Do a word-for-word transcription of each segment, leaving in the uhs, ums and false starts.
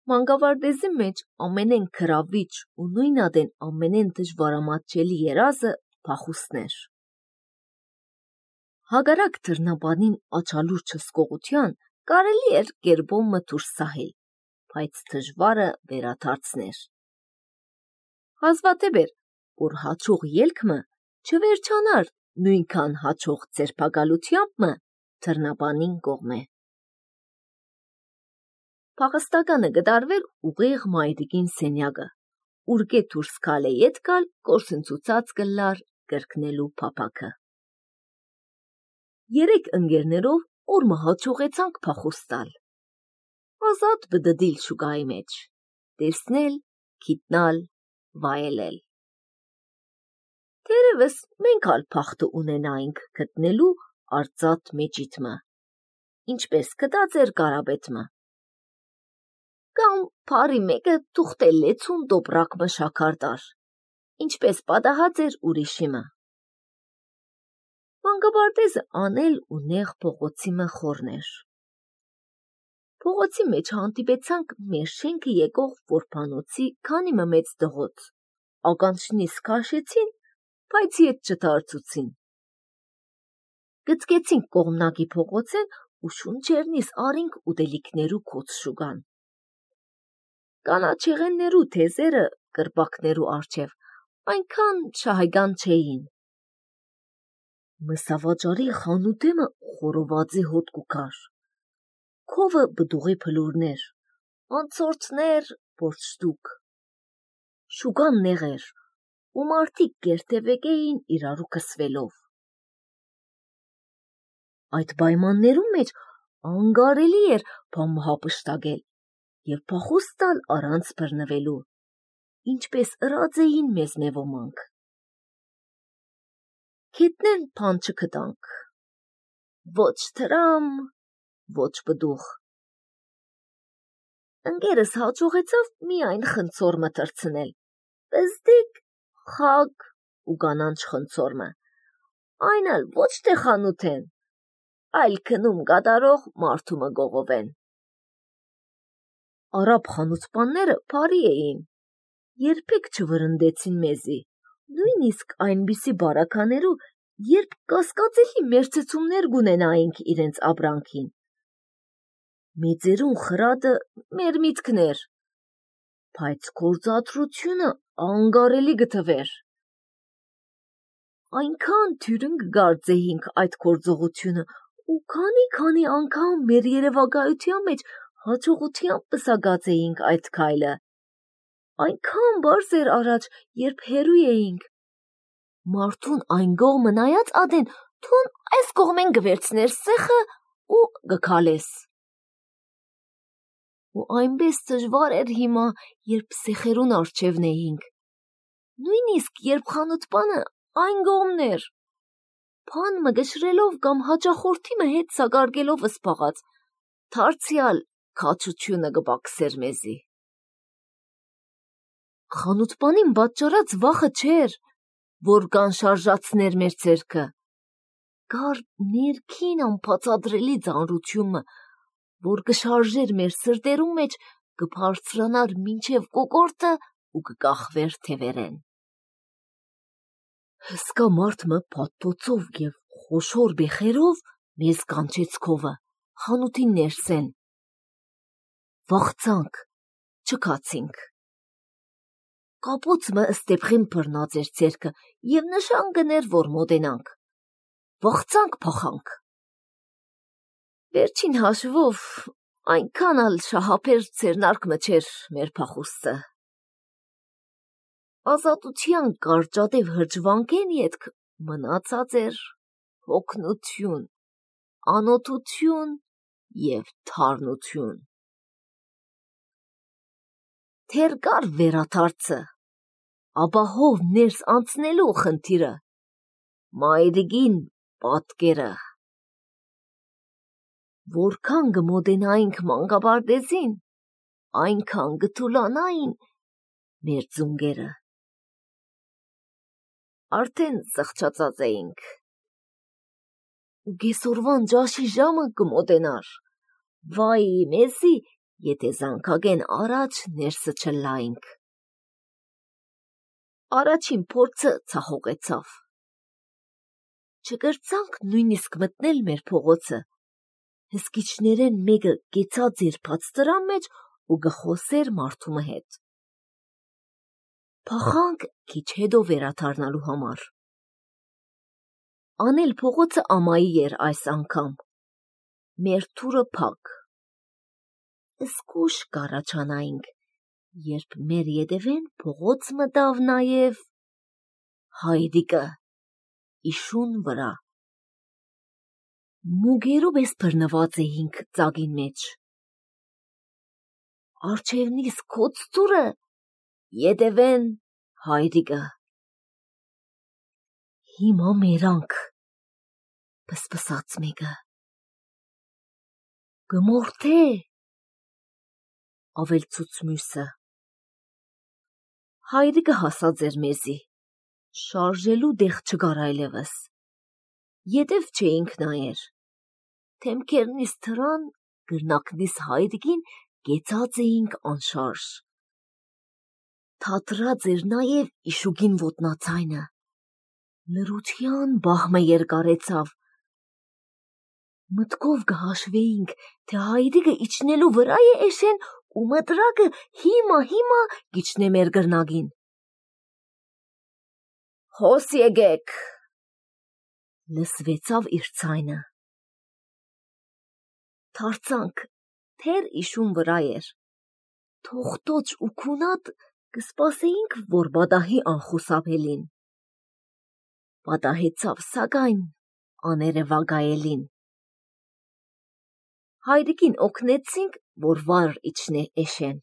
Մանկավարդեզի մեջ ամենեն գրավիչ ու նույնադեն ամենեն դժվարամատչելի երազը փախուստն էր։ Հակառակ թռնաբանին աչալուրջ հսկողության կարելի էր գերբոմը դուրս սահել, բայց դժվարը վերադարձներ։ Հազվադեպ էր, որ հաջող ելքմը չվերջանար նույնքան հաջող ձերբակալությամբը թռնաբանին կողմէ։ Փախստականը գդարվեր ուղիղ մայրիկին սենյակը, ուր գե դուրս գալ է ետ գալ գործընծուծած կլար կրկնելու փափաքը։ Երեք ընկերներով օրը հաջողեցանք փախուստ տալ։ Ազատ բդդիլ շուկայի մեջ, տեսնել, գիտնալ, վայելել։ Թերևս մենք ալ փախտը ունենայինք գտնելու արծաթ մեջիթմը, ինչպես գտած էր Կարապետմը։ Կամ փարի մեկը թուղթել լեցուն տոպրակմը շաքարդար, ինչպես պատահած էր ուրիշիմը։ Մանկապարտեզը անել ու նեղ փողոցի մը խորներ։ Փողոցի մեջ հանդիպեցանք մեր շենքը եկող որբանոցի քանի մը մեծ դղոց, ականջնիս քաշեցին, բայց ետ չդարձուցին։ Գծկեցինք կողմնակի փողոցեն ու շունչերնիս արինք ուտելիքներու կոց շուկան։ Կանաչեղեններու թեզերը կրպակներու արջև այնքան շահեգան չէին։ Մսավաճարի խանութեմը խորովածի հոտ կուքար, քովը բդուղի փլուրներ, անցորդներ բորշտուկ։ Շուկան նեղ էր, ու մարդիկ գերտևեկ էին իրարու կսվելով։ Այդ պայմաններու մեջ անգարելի էր բամհապշտակել և փախուստ տալ առանց բռնվելու, ինչպես ըրած էին մեզ մե ոմանք։ Գետնեն բան չգտանք, ոչ թրամ, ոչ բդուղ։ Ընկերս հաջողեցավ միայն խնձորմը թռցնել, պզդիկ, խագ ու կանանչ խնձորմը, այն ալ ոչ թե խանութեն, այլ քնում կատարող մարդու գողովեն։ Արաբ խանութպանները բարի էին, երբեք չվրընդեցին մեզի, նույնիսկ այնպիսի բարականերու, երբ կասկածելի մերձեցումներ գունենայինք իրենց ապրանքին։ Մեծերուն խրատը մեր միտքն էր, բայց գործադրությունը անգարելի գտվեր։ Այնքան թյուրն կգարձեինք այդ գործողությունը ու քանի-քանի անգամ մեր երևակայության մեջ հաջողությամբ պսակած էինք այդ քայլը։ Այնքան բարձ էր առաջ, երբ հեռու էինք։ Մարդուն այն կողմը նայած ադեն թուն այս կողմեն գվերցներ սեխը ու գքալես։ Ու այնպես դժվար էր հիմա, երբ սեխերուն արջևն էինք։ Նույնիսկ երբ խանութպանը այն կողմն էր, բան մը գշրելով կամ հաճախորդի մը հետ սակարկելով սպաղած, դարձյալ քաջությունը կպակսեր մեզի։ Խանութպանին պատճառած վախը չէր, որ կանշարժացներ մեր ձեռքը, կար ներքին անբացատրելի ծանրությունը, որ կշարժեր մեր սրտերու մեջ, կբարձրանար մինչև կոկորդը ու կկախվեր թևերեն։ Հսկա մարդը փաթթոցով և խոշոր բեխերով մեզ կանչեց քովը, խանութին ներսեն։ Վախցանք, չքացինք։ Կապոցը ստեպղին բռնած էր ձեռքը և նշան կներ, որ մոտենանք։ Վախցանք փախանք։ Վերջին հաշվով այնքան ալ շահափեր ձեռնարկը չէր մեր փախուստը։ Ազատության կարճատև հրճվանքեն ետք մնացած էր հոգնություն, անօթություն և թարնություն։ Թեր կար վերադարձը, ապահով ներս անցնելու խնդիրը, մայրիկին պատկերը։ Որքան կմոտենայինք մանկապարտեզին, այնքան կթուլանային մեր ձունկերը։ Արդեն զղջացած էինք։ Ու կեսօրվան ջաշի ժամը կմոտենար, վայ մեզի, եթե զանգագեն առաջ ներսը չլայինք։ Առաջին փորձը ցախողեցավ։ Չգրցանք նույնիսկ մտնել մեր փողոցը։ Հսկիչներեն մեկը կեցած էր բաց տրան մեջ ու գխոսեր մարդու հետ։ Փախանք քիչ հետո վերադառնալու համար։ Անել փողոցը ամայի էր այս անգամ։ Մեր թուրը փակ։ Սկուշ կառաջանայինք, երբ մեր ետևեն փողոց մտավ նաև Հայրիկը իշուն վրա։ Մուգերով ես բռնված էինք ծագին մեջ։ Արջևնիս քոց թուրը, ետևեն Հայրիկը։ Հիմա մերանք, պսպսաց մեկը։ Գմորթե, ավելցուց մյուսը։ Հայրիկը հասած էր մեզի, շարժելու դեղ չկար այլևս։ Ետև չէինք նայեր։ Թեմքերնիս թրան, գրնակնիս Հայրիկին կեցած էինք անշարժ։ Թատրած էր նաև իշուկին ոտնացայնը։ Լրության բահմը երկարեցավ։ Մտքով կհաշվեինք, թե Հայրիկը իջնելու վրա է էշեն ու մտրակը հիմա հիմա կիջնե մեր գրնագին։ Հոս եկեք, լսվեցավ իր ցայնը։ Թարցանք, թեր իշուն վրա էր։ Թողտոչ ու քունատ կսպասեինք, որ բադահի անխուսափելին։ Պատահեցավ սակայն աներևակայելին։ Հայրիկին օգնեցինք, որ վար իջնե էշեն։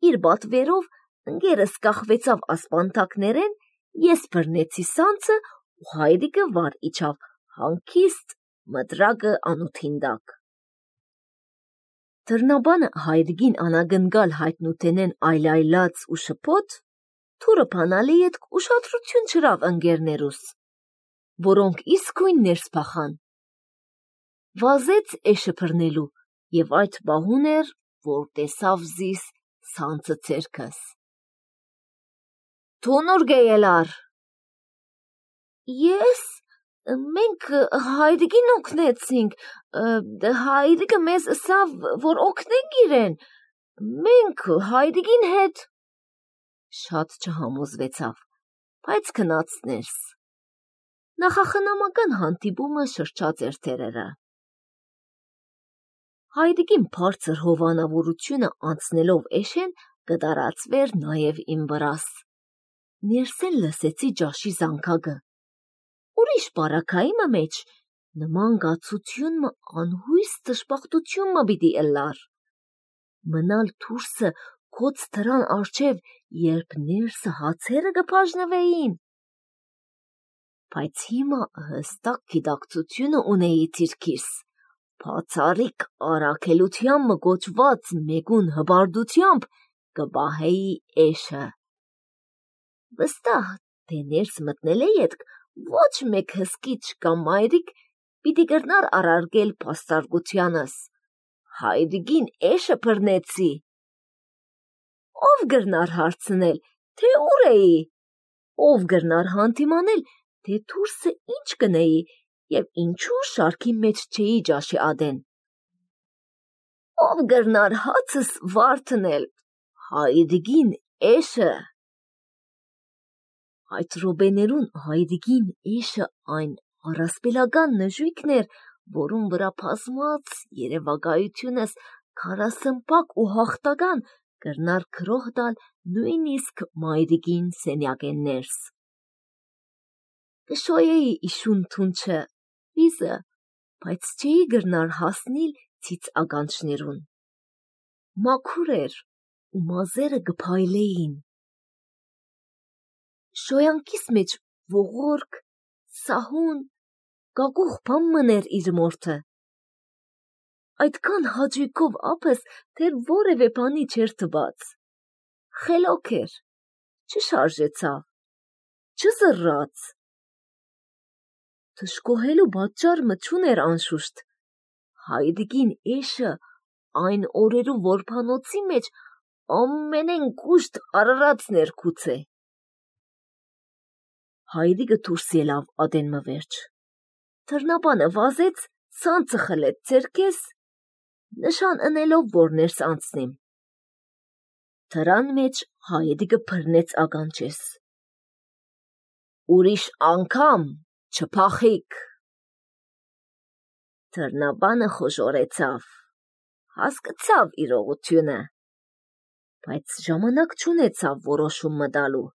Իր բատվերով ընկերս կախվեցավ ասպանթակներեն, ես բռնեցի սանցը ու Հայրիկը վար իջավ հանգիստ մտրակը անութին տակ։ Դռնաբանը Հայրիկին անագնգալ հայտնութենեն այլայլած ու շփոթ, թուրը փանալի ետ ուշադրություն չրավ ընկերներուս, որոնք իսկույն ներս փախան։ Վազեց էշը բռնելու և այդ պահուն էր, որ տեսավ զիս սանցը ցերքս։ Թունուր գեյելար։ Ես, մենք Հայրիկին օգնեցինք, Հայրիկը մեզ ըսավ, որ օգնենք իրեն, մենք Հայրիկին հետ։ Շատ չհամոզվեցավ, բայց քնած ներս։ Նախախնամական հանդիպումը շրջած էր թերերը։ Հայրիկին բարձր հովանավորությունը անցնելով էշեն կդարածվեր նաև իմ վրաս։ Ներսեն լսեցի ջաշի զանգակը։ Ուրիշ պարակայիմը մեջ նման գացությունմը անհույս տշպախտությունմը պիտի ըլլար։ Մնալ թուրսը քոց թրան արջև, երբ ներսը հացերը կբաժնվեին։ Բայց հիմա հստակ գիտակցությունը ունեի ցիրքիս։ Բացառիկ առաքելությամբ գոչված մեկուն հբարդությամբ կպահեի էշը։ Վստահ, թե ներս մտնել է ետք ոչ մեկ հսկիչ կամ մայրիկ պիտի կրնար առարգել փաստարկությանս։ Հայրիկին էշը բռնեցի։ Ով գրնար հարցնել, թե ուր էի, ով գրնար հանդիմանել, թե թուրսը ինչ կնեի և ինչու շարքի մեջ չէի ջաշի ադեն։ Ով գրնար հացս վարդնել, Հայրիկին էշը։ Այդ ռոպեներուն Հայրիկին էշը այն առասպելական նժույգն էր, որուն վրա փասմած երևակայությունս քարասմպակ ու հաղթական կրնար քրոհ տալ նույնիսկ Մայրիկին սենյակեն ներս։ Կշոյեի իշուն թունչը, վիզը, բայց չէի գրնար հասնիլ ցից ականջներուն։ Մաքուր էր ու մազերը կփայլեին։ Շոյանքիս մեջ ողորկ, սահուն, գագուղ բան մներ իր մորթը։ Այդքան հաճույքով ափս, թե որևէ բանի չէր թված։ Խելոք էր, չշարժեցավ, չզռաց։ Թշկոհելու պատճառ մը չուներ անշուշտ։ Հայրիկին էշը այն օրերու որբանոցի մեջ ամենեն կուշտ Արարածն էր քուցե։ Հայրիկը դուրս ելավ ադենմը վերջ։ Թռնաբանը վազեց, սանձը խլեց ձերքես, նշան ընելով, որ ներս անցնիմ։ Թրան մեջ հայրիկը բռնեց ականջես։ Ուրիշ անգամ չփախիք։ Թռնաբանը խոժորեցավ, հասկացավ իրողությունը, բայց ժամանակ չունեցավ որոշում մտալու։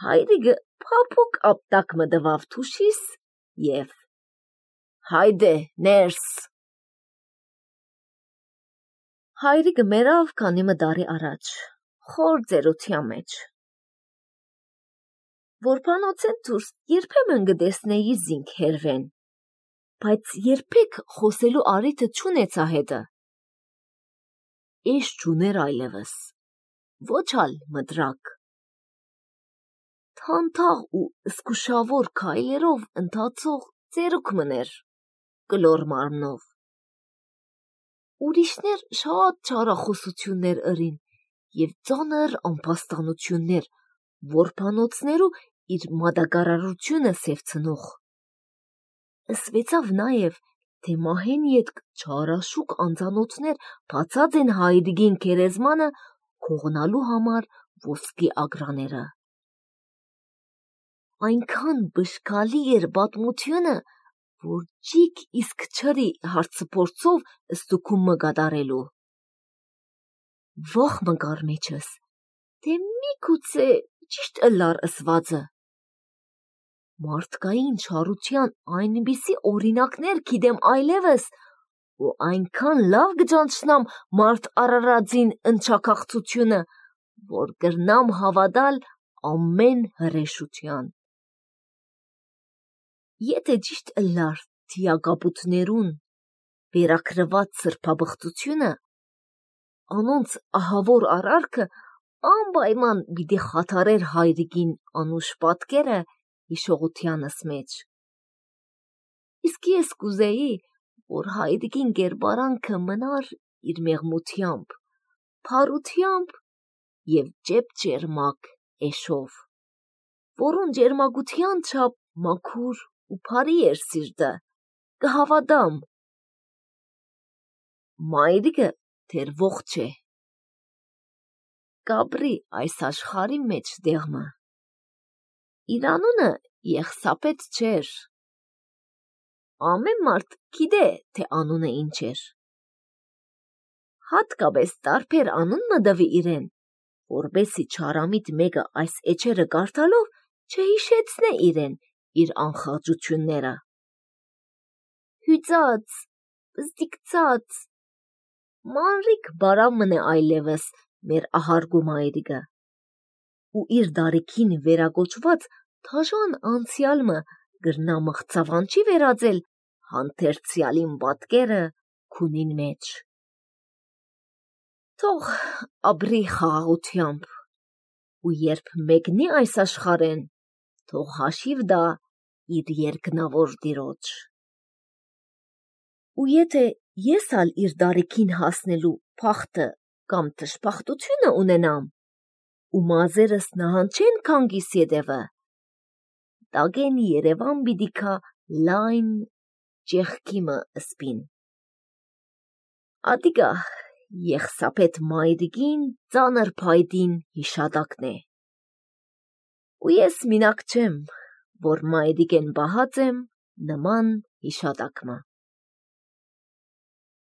Հայրիկը փափուկ ապտակ մտվավ թուշիս և հայդե ներս։ Հայրիկը մերավ քանի մը տարի առաջ, խոր ծերության մեջ։ Որբանոցեն դուրս երբեմն կտեսնեի զինք հերվեն, բայց երբեք խոսելու առիթը չունեցա հետը։ Էշ չուներ այլևս, ոչ ալ մտրակ։ Թանթաղ ու զգուշավոր քայլերով ընթացող ծերուկ մներ, կլոր մարմնով։ Ուրիշներ շատ չարախոսություններ ըրին և ծանր ամբաստանություններ, որբանոցներու իր մատակարարությունը սևցնող։ Ըսվեցավ նաև, թե մահեն ետք չարաշուկ անձանոթներ բացած են հայրիկին գերեզմանը քողնալու համար ոսկի ագրաները։ Այնքան բշկալի էր պատմությունը, որ ջիկ իսկ չրի հարցփորձով ստուգում մը կատարելու։ Վախ մկար մեջս, թե միգուցե ճիշտ ըլլար ըսվածը։ Մարդկային չարության այնպիսի օրինակներ գիտեմ այլևս, ու այնքան լավ կճանչնամ մարդ Արարածին ընչաքաղցությունը, որ կրնամ հավատալ ամեն հրեշության։ Եթե ճիշտ ըլլար թիակապութներուն վերակրված սրբաբղծությունը, անոնց ահավոր արարքը անպայման պիտի խաթարեր հայրիկին անուշ պատկերը հիշողությանս մեջ։ Իսկ ես կուզեի, որ հայրիկին կերպարանքը մնար իր մեղմությամբ, փարությամբ և ճեպճերմակ էշով, որուն ճերմակության չափ մաքուր ու փարի էր սիրտը, կհավատամ։ Մայրիկը դեռ ողջ է, կապրի այս աշխարհի մեջ դեղմը։ Իր անունը Եղսապետ չէր։ Ամեն մարդ գիտե, թե անունը ինչ էր։ Հատկապես տարբեր անուն մը տվի իրեն, որպեսզի չարամիտ մեկը այս էջերը կարդալով չհիշեցնե իրեն իր անխաղճությունները։ Հյուծած, բզդիկցած, մանրիկ բարավ մնե այլևս մեր ահարգու մայրիկը, ու իր դարիքին վերագոչված թաժան անցյալը գրնա մղձավանջի վերածել հանդերձյալին պատկերը քունին մեջ։ Թող ապրի խաղաղությամբ, ու երբ մեկնի այս աշխարհեն, թող հաշիվ տա իր երկնավոր տիրոջ։ Ու եթե ես ալ իր դարիքին հասնելու փախտը կամ դժբախտությունը ունենամ, ու մազերս նահանջեն քանգիս ետևը, տագեն Երևան պիտի գա լայն ճեղքի մը ըսպին։ Ատիկա Եղսապետ մայրիկին ծանր փայտին հիշատակն է։ Ու ես մինակ չեմ, որ մայրիկեն պահած եմ նման հիշատակմը։